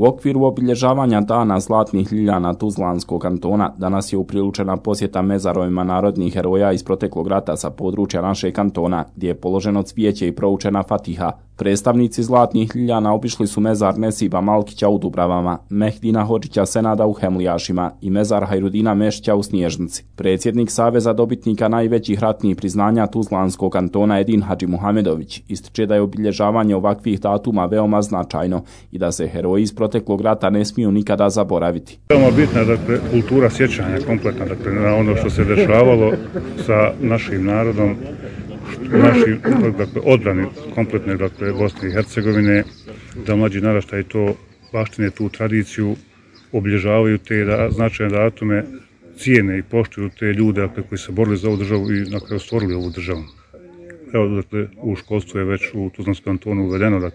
U okviru obilježavanja Dana zlatnih ljiljana Tuzlanskog kantona danas je upriličena posjeta mezarovima narodnih heroja iz proteklog rata sa područja našeg kantona, gdje je položeno cvijeće i proučena fatiha. Predstavnici zlatnih ljiljana obišli su mezar Nesiba Malkića u Dubravama, Mehdina Hodžića Senada u Hemlijašima i mezar Hajrudina Mešća u Snježnici. Predsjednik Saveza dobitnika najvećih ratnih priznanja Tuzlanskog kantona Edin Hadži Muhamedović ističe da je obilježavanje ovakvih datuma veoma značajno i da se heroji iz proteklog rata ne smiju nikada zaboraviti. Veoma bitna je kultura sjećanja kompletna na ono što se dešavalo sa našim narodom, našim odbrani kompletne Bosne i Hercegovine, da mlađi naraštaj to baštine, tu tradiciju, obilježavaju te značajne datume, cijene i poštuju te ljude koji se borili za ovu državu i na kraju stvorili ovu državu. Evo, u školstvu je već u Tuzlanskom kantonu uvedeno,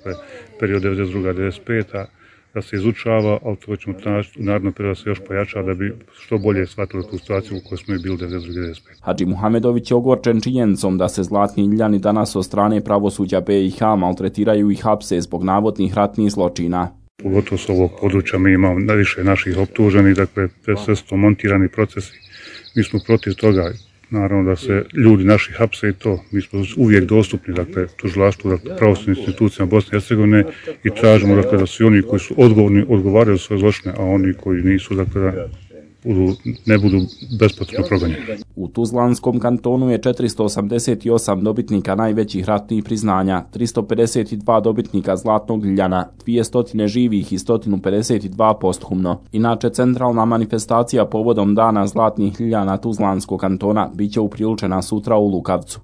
period 92-95, da se izučava, ali to ćemo tražiti u narednom periodu da se još pojača da bi što bolje shvatili tu situaciju u kojoj smo i bili 92-95. Hadži Muhamedović je ogorčen činjenicom da se zlatni ljiljani danas od strane pravosuđa BiH maltretiraju i hapse zbog navodnih ratnih zločina. Pogotovo s ovog područja mi imamo najviše naših optuženih, sve su to montirani procesi. Mi smo protiv toga, naravno da se ljudi naši hapse i to. Mi smo uvijek dostupni, tužilaštvu, pravosudnim institucijama Bosne i Hercegovine i tražimo, da svi oni koji su odgovorni odgovaraju svoje zločine, a oni koji nisu, ne budu bespotrebno progonjeni. U Tuzlanskom kantonu je 488 dobitnika najvećih ratnih priznanja, 352 dobitnika zlatnog ljiljana, 200 živih i 152 posthumno. Inače, centralna manifestacija povodom Dana zlatnih ljiljana Tuzlanskog kantona biće upriličena sutra u Lukavcu.